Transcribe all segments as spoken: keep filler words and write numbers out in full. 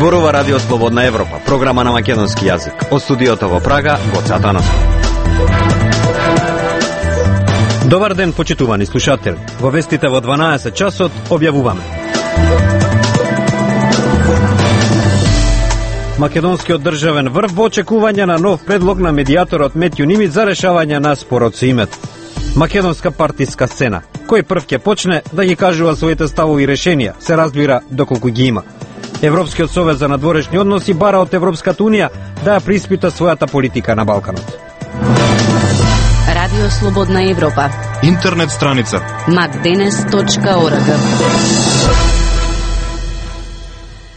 Зборува Радио Слободна Европа, програма на македонски јазик. Од студиото во Прага, Гоце Атанасов. Добар ден, почитувани слушатели. Во вестите во дванаесет часот објавуваме. Македонскиот државен врв во очекување на нов предлог на медијаторот Метју Нимиц за решавање на спорот со името. Македонска партиска сцена. Кој прв ќе почне да ги кажува своите ставови и решенија, се разбира доколку ги има. Европскиот совет за надворешни односи бара од Европската унија да ја преиспита својата политика на Балканот. Радио Слободна Европа. Интернет страница макденес точка орг.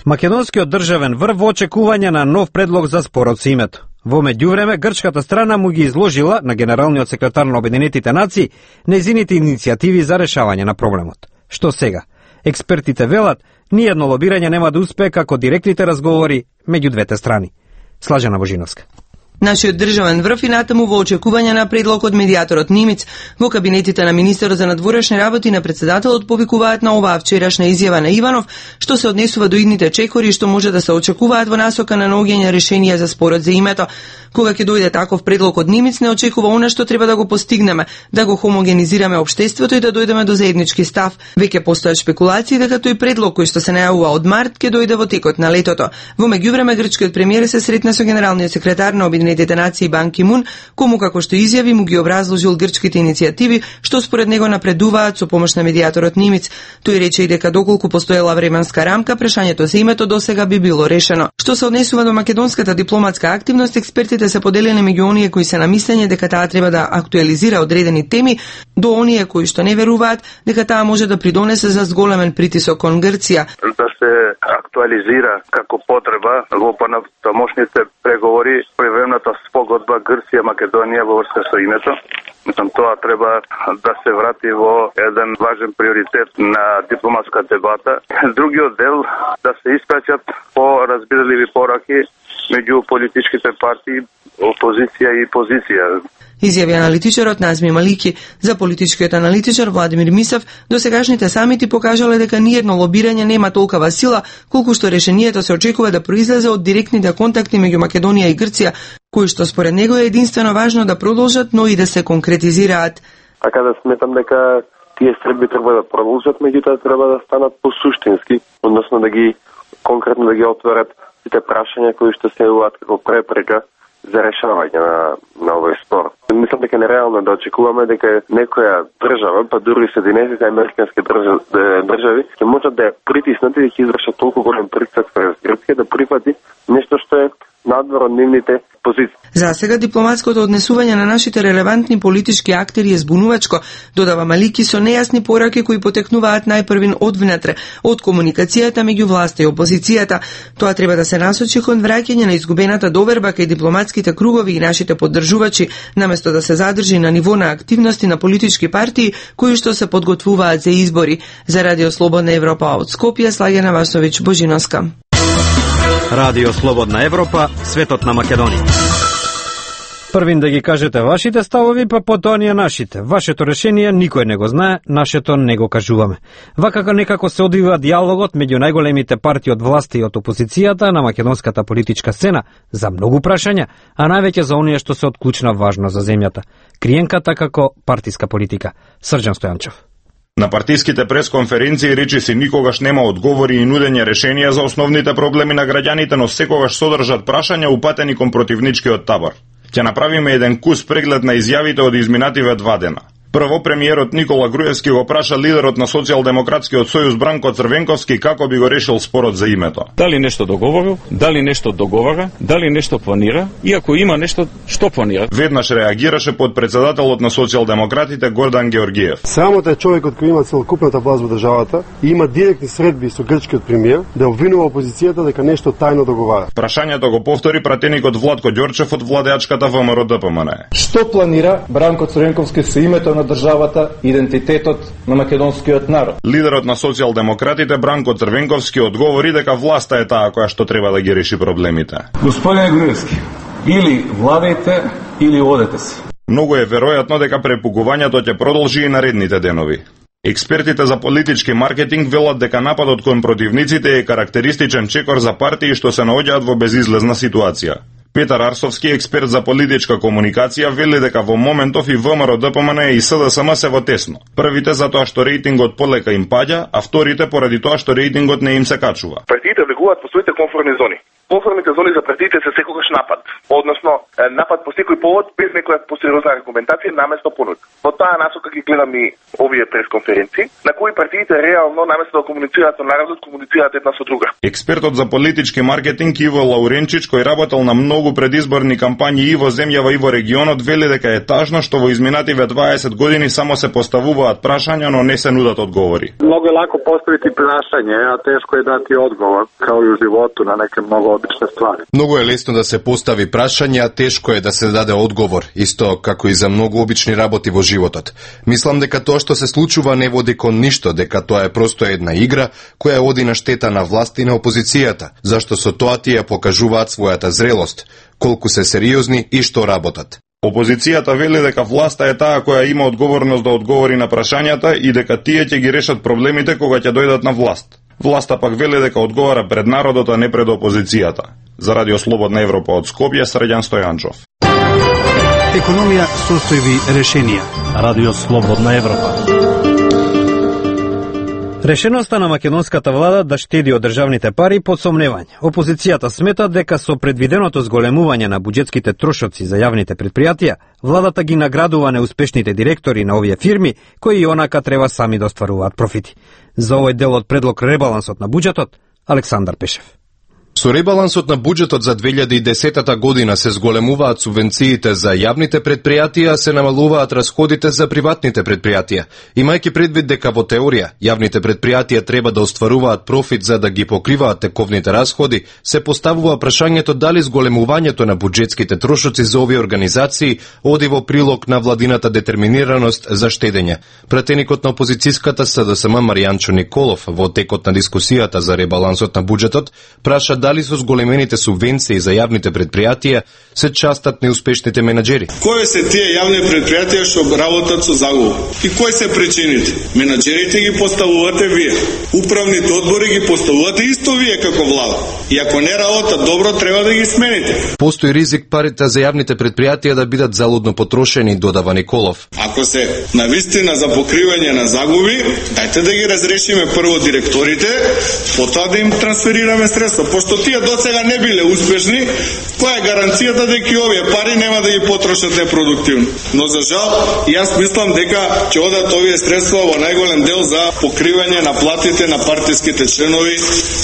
Македонскиот државен врв во очекување на нов предлог за спорот со името. Во меѓувреме, грчката страна му ги изложила на генералниот секретар на Обединетите нации нејзините иницијативи за решавање на проблемот. Што сега? Експертите велат, ниедно лобирање нема да успее како директните разговори меѓу двете страни. Слажена Божиновска. Нашиот државен врв и натаму во очекување на предлог од медијаторот Нимиц во кабинетите на министерот за надворешни работи на председателот повикуваат на оваа вчерашна изјава на Иванов, што се однесува до идните чекори што може да се очекуваат во насока на наоѓање решенија за спорот за името. Кога ќе дојде таков предлог од Нимиц, не очекува она што треба да го постигнеме, да го хомогенизираме општеството и да дојдеме до заеднички став. Веќе постојат шпекулации дека тој предлог кој што се најавува од март ќе дојде во текот на летото. Во меѓувреме грчкиот премиер се сретна со генералниот секретар на Обединетите нации Бан Ки Мун, кому како што изјави му ги образложил грчките иницијативи што според него напредуваат со помош на медијаторот Нимиц. Тој рече и дека доколку постоела временска рамка, прашањето за името досега би било решено. Што се однесува до македонската дипломатска активност, експертите се поделени меѓу оние кои се на мислење дека таа треба да актуализира одредени теми, до оние кои што не веруваат дека таа може да придонесе за зголемен притисок кон Грција. Да се актуализира како потреба во понатамошните преговори превремната спогодба Грција-Македонија во врска со името. Мислам, тоа треба да се врати во еден важен приоритет на дипломатска дебата. Другиот дел да се испраќат по-разбирливи пораки меѓу политичките партии, опозиција и позиција. Изјави аналитичарот Назми Малики. За политичкиот аналитичар Владимир Мисев, досегашните самити покажале дека ниедно лобирање нема толкова сила, колку што решението се очекува да произлезе од директните контакти меѓу Македонија и Грција, кои што според него е единствено важно да продолжат, но и да се конкретизираат. Така да сметам дека тие средби треба да продолжат, меѓутоа треба да станат посуштински, односно да ги конкретно да ги отворат сите прашања кои што се јавуваат како препрека за решавање на, на овој спор. Мислам дека нереално да очекуваме дека некоја држава, па дури Соединетите американски држави, држави ќе можат да ја притиснат и да ќе извршат толку голем притисок през Грција да прифати нешто што е надвор од нивните позиции. За сега дипломатското однесување на нашите релевантни политички актери е збунувачко, додава Малики со нејасни пораки кои потекнуваат најпрвин од внатре, од комуникацијата меѓу власта и опозицијата. Тоа треба да се насочи кон враќање на изгубената доверба кај дипломатските кругови и нашите поддржувачи, наместо да се задржи на ниво на активности на политички партии кои што се подготвуваат за избори. За Радио Слободна Европа од Скопје, Слаѓана Васовиќ Божиновска. Радио Слободна Европа, светот на Македонија. Првин да ги кажете вашите ставови, па потоа ние нашите. Вашето решение никој не го знае, нашето не го кажуваме. Вака некако се одвива диалогот меѓу најголемите партии од власти и од опозицијата на македонската политичка сцена за многу прашања, а највеќе за оние што се од клучна важност за земјата. Криенката како партиска политика. Срđan Стојанчев. На партиските пресконференции речи се никогаш нема одговори и нудење решенија за основните проблеми на граѓаните, но секогаш содржат прашања упатени кон противничкиот табор. Ќе направиме еден кус преглед на изјавите од изминативе два дена. Прво, премиерот Никола Груевски го праша лидерот на Социјалдемократскиот сојуз Бранко Црвенковски како би го решил спорот за името. Дали нешто договорил, дали нешто договара, дали нешто планира и ако има нешто, што планира? Веднаш реагираше подпредседателот на Социјалдемократите Гордан Георгиев. Самото е човекот кој има целокупната власт во државата и има директни средби со грчкиот премиер да обвинува опозицијата дека нешто тајно договара. Прашањето го повтори пратеникот Владко Ѓорчев од владеачката ВМРО Д П М Н. Што планира Бранко Црвенковски со името на државата, идентитетот на македонскиот народ? Лидерот на Социјалдемократите Бранко Црвенковски одговори дека власта е таа која што треба да ги реши проблемите. Господине Груевски, или владајте, или одете се. Многу е веројатно дека препугувањето ќе продолжи и наредните денови. Експертите за политички маркетинг велат дека нападот кон противниците е карактеристичен чекор за партии што се наоѓаат во безизлезна ситуација. Петар Арсовски, експерт за политичка комуникација, вели дека во моментов и ВМРО, ДПМН и СДСМ се во тесно. Првите затоа што рейтингот полека им паѓа, а вторите поради тоа што рейтингот не им се качува. Партиите влегуваат во своите комфортни зони. Комфортните зони за партиите се секогаш напад, односно напад по секој повод без некоја посериозна аргументација наместо понуд. Во таа насока ги гледам и овие пресконференции, на кои партиите реално наместо да комуницираат со народот, комуницираат една со друга. Експертот за политички маркетинг Иво Лауренчич, кој работел на многу предизборни кампањи и во земјава и во регионот, вели дека е тажно што во изминативе дваесет години само се поставуваат прашања, но не се нудат одговори. Многу е лако поставити прашање, а тешко е дати одговор, као и у животу на неке многу обични ствари. Многу е лесно да се постави прашање, а тешко е да се даде одговор, исто како и за многу обични работи во животот. Мислам дека тоа што се случува не води кон ништо, дека тоа е просто една игра која оди на штета на власт и на опозицијата, зашто со тоа тие покажуваат својата зрелост, колку се сериозни и што работат. Опозицијата вели дека власта е таа која има одговорност да одговори на прашањата и дека тие ќе ги решат проблемите кога ќе дојдат на власт. Власта пак вели дека одговара пред народот, а не пред опозицијата. За Радио Слободна Европа од Скопје, Срđan Стојанчов. Економија состојби решенија. Радио Слободна Европа. Решеноста на македонската влада да штеди од државните пари под сомневање. Опозицијата смета дека со предвиденото зголемување на буџетските трошоци за јавните предпријатија, владата ги наградува неуспешните директори на овие фирми, кои и онака треба сами да остваруваат профити. За овој дел од предлог ребалансот на буџетот, Александар Пешев. Со ребалансот на буџетот за две илјади и десета година се зголемуваат субвенциите за јавните предпријатија, се намалуваат расходите за приватните предпријатија. Имајќи предвид дека во теорија јавните предпријатија треба да остваруваат профит за да ги покриваат тековните расходи, се поставува прашањето дали зголемувањето на буџетските трошоци за овие организации оди во прилог на владината детерминираност за штедење. Пратеникот на опозицијската СДСМ Маријанчо Николов во текот на дискусијата за ребалансот на буџетот праша дали со зголемените субвенции за јавните предпријатија се частат неуспешните менаџери. Кои се тие јавни предпријатија што работат со загуба? И кои се причините? Менаџерите ги поставувате вие. Управните одбори ги поставувате исто вие како влада. И ако не работат добро, треба да ги смените. Постои ризик парите за јавните предпријатија да бидат залудно потрошени, додава Николов. Ако се навистина за покривање на загуби, дајте да ги разрешиме прво директорите, потоа да им трансферираме средства. Пошто тие до сега не биле успешни, која е гаранцијата дека и овие пари нема да ги потрошат непродуктивно? Но за жал, јас мислам дека ќе одат овие средства во најголем дел за покривање на платите на партиските членови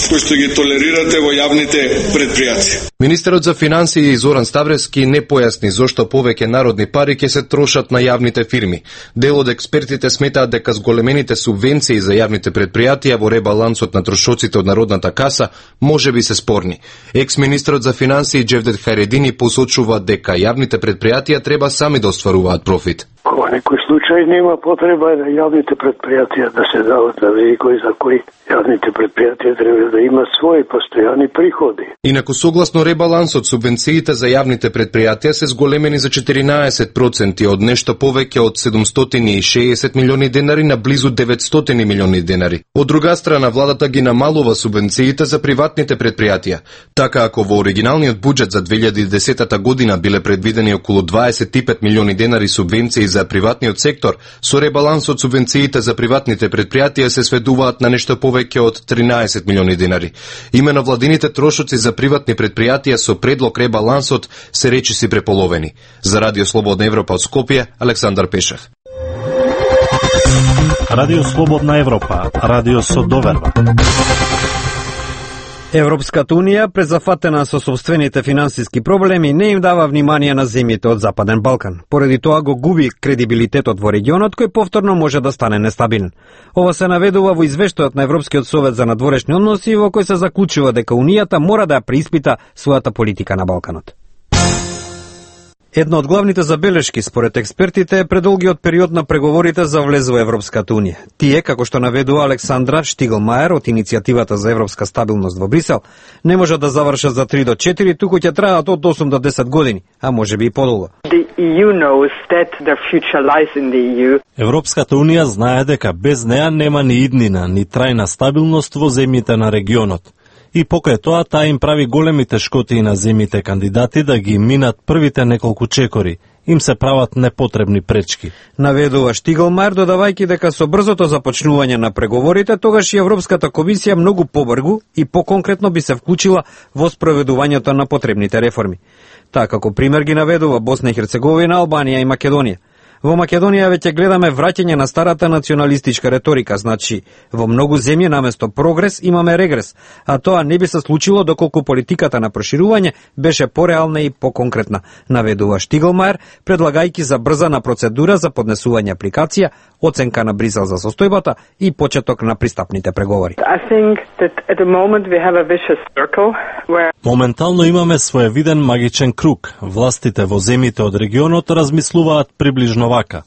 кои што ги толерирате во јавните предпријатија. Министерот за финансии Зоран Ставревски не појасни зошто повеќе народни пари ќе се трошат на јавните фирми. Дел од експертите сметаат дека зголемените субвенции за јавните предпријатија во ребалансот на трошоците од народната каса може би се спорни. Екс-министерот за финансии Джевдет Харедини посочува дека јавните предпријатија треба сами да остваруваат профит. Во некој случај нема потреба да јавните предпријатија да се дават за великој за кои јавните предпријатија треба да имат своји постојани приходи. Инаку согласно ребалансот, субвенциите за јавните предпријатија се зголемени за четиринаесет проценти од нешто повеќе од седумстотини и шеесет милиони денари на близу деветстотини милиони денари. Од друга страна, владата ги намалува субвенциите за приватните предпријатија. Така ако во оригиналниот буџет за две илјади и десета година биле предвидени околу дваесет и пет милиони денари субвенции за приватниот сектор, со ребалансот субвенциите за приватните предпријатија се сведуваат на нешто повеќе од тринаесет милиони денари. Имено владините трошоци за приватни предпријатија со предлог ребалансот се речиси преполовени. За Радио Слободна Европа од Скопје, Александар Пешев. Радио Слободна Европа, радио со доверба. Европската Унија, презафатена со собствените финансиски проблеми, не им дава внимание на земјите од Западен Балкан. Поради тоа го губи кредибилитетот во регионот, кој повторно може да стане нестабилен. Ова се наведува во извештајот на Европскиот совет за надворешни односи, во кој се заклучува дека Унијата мора да ја преиспита својата политика на Балканот. Една од главните забелешки според експертите е предолгиот период на преговорите за влез во Европската унија. Тие, како што наведува Александра Штиглмаер од иницијативата за европска стабилност во Брисел, не можат да завршат за три до четири, туку ќе траат од осум до десет години, а можеби и подолго. Европската унија знае дека без неа нема ни иднина, ни трајна стабилност во земјите на регионот. И покрај тоа, таа им прави големи тешкоти на земјите кандидати да ги минат првите неколку чекори. Им се прават непотребни пречки. Наведува Штиглмаер, додавајќи дека со брзото започнување на преговорите, тогаш и Европската комисија многу побргу и поконкретно би се вклучила во спроведувањето на потребните реформи. Таа како пример ги наведува Босна и Херцеговина, Албанија и Македонија. Во Македонија веќе гледаме враќање на старата националистичка реторика, значи во многу земји наместо прогрес имаме регрес, а тоа не би се случило доколку политиката на проширување беше пореална и поконкретна, наведува Штиглмаер, предлагајќи за брзана процедура за поднесување апликација, оценка на Брисел за состојбата и почеток на пристапните преговори. Моментално имаме своевиден магичен круг. Властите во земјите од регионот размислуваат приближно вака.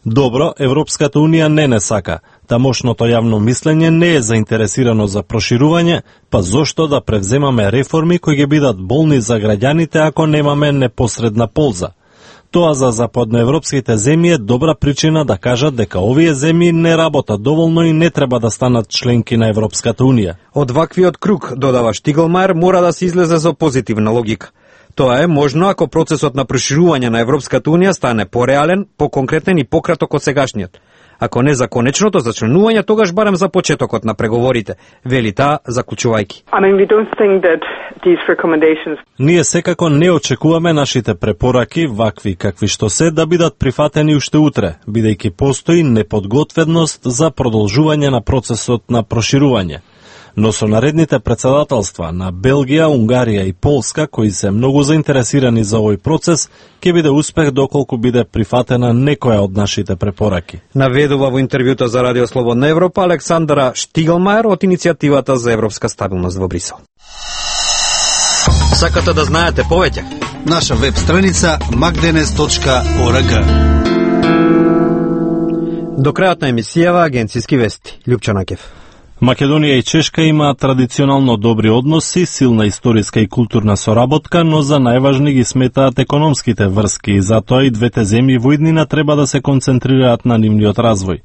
Добро, Европската унија не не сака. Тамошното јавно мислење не е заинтересирано за проширување, па зошто да превземаме реформи кои ќе бидат болни за граѓаните ако немаме непосредна полза? Тоа за западноевропските земји е добра причина да кажат дека овие земји не работат доволно и не треба да станат членки на Европската унија. Од ваквиот круг, додава Штиглмаер, мора да се излезе со позитивна логика. Тоа е можно ако процесот на проширување на Европската унија стане пореален, поконкретен и пократок од сегашниот. Ако не за конечното зачленување, тогаш барем за почетокот на преговорите, вели таа заклучувајќи. I mean, we don't think that these recommendations... Ние секако не очекуваме нашите препораки, вакви какви што се, да бидат прифатени уште утре, бидејќи постои неподготвеност за продолжување на процесот на проширување. Но со наредните председателства на Белгија, Унгарија и Полска, кои се многу заинтересирани за овој процес, ќе биде успех доколку биде прифатена некоја од нашите препораки. Наведува во интервјуто за Радио Слободна Европа Александра Штиглмаер од иницијативата за европска стабилност во Брисел. Сакате да знаете повеќе? Наша веб страница макденес точка орг. До крајот на емисијава агенцијски вести. Лјупчо Накев. Македонија и Чешка имаат традиционално добри односи, силна историска и културна соработка, но за најважни ги сметаат економските врски и затоа и двете земји во иднина треба да се концентрираат на нивниот развој.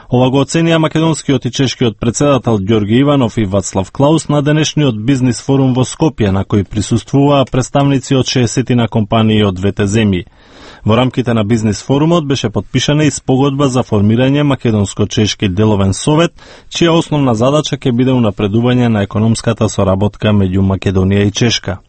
Ова го оценија македонскиот и чешкиот председател Ѓорги Иванов и Вацлав Клаус на денешниот бизнис форум во Скопје, на кој присуствуваа представници од шеесет на компании од двете земји. Во рамките на бизнис форумот беше подпишана и спогодба за формирање македонско-чешки деловен совет, чија основна задача ќе биде унапредување на економската соработка меѓу Македонија и Чешка.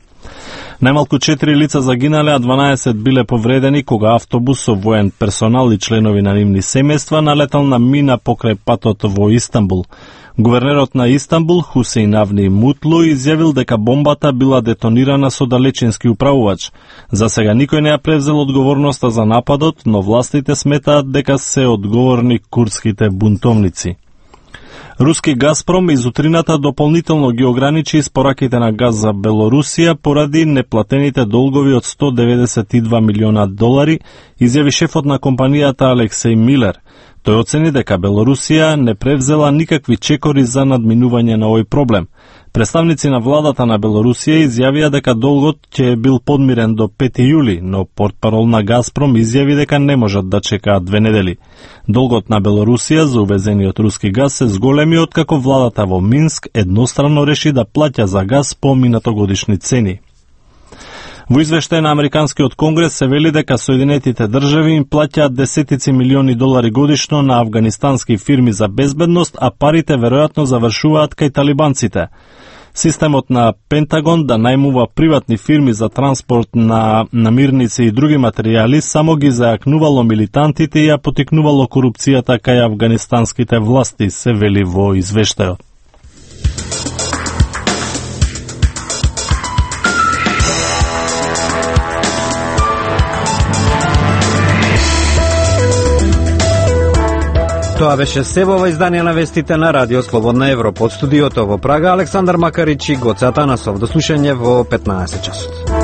Најмалку четири лица загинале, а дванаесет биле повредени кога автобус со воен персонал и членови на нивни семејства налетал на мина покрај патот во Истанбул. Гувернерот на Истанбул, Хусеин Авни Мутлу, изјавил дека бомбата била детонирана со далечински управувач. За сега никој не ја превзел одговорноста за нападот, но властите сметаат дека се одговорни курдските бунтовници. Руски Газпром изутрината дополнително ги ограничи испораките на газ за Белорусија поради неплатените долгови од сто деветдесет и два милиона долари, изјави шефот на компанијата Алексеј Милер. Тој оцени дека Белорусија не превзела никакви чекори за надминување на овој проблем. Представници на владата на Белорусија изјавија дека долгот ќе бил подмирен до пети јули, но портпарол на Газпром изјави дека не можат да чекаат две недели. Долгот на Белорусија за увезениот руски газ се зголеми откако владата во Минск едностранно реши да плаќа за газ по минатогодишни цени. Во извештај на Американскиот конгрес се вели дека Соединетите држави им плаќаат десетици милиони долари годишно на афганистански фирми за безбедност, а парите веројатно завршуваат кај талибанците. Системот на Пентагон да најмува приватни фирми за транспорт на намирници и други материјали само ги зајакнувало милитантите и ја потикнувало корупцијата кај афганистанските власти, се вели во извештајот. Тоа беше се во издание на вестите на Радио Слободна Европа. Од студиото во Прага Александар Макарич и Гоце Атанасов. До слушање во петнаесет часот.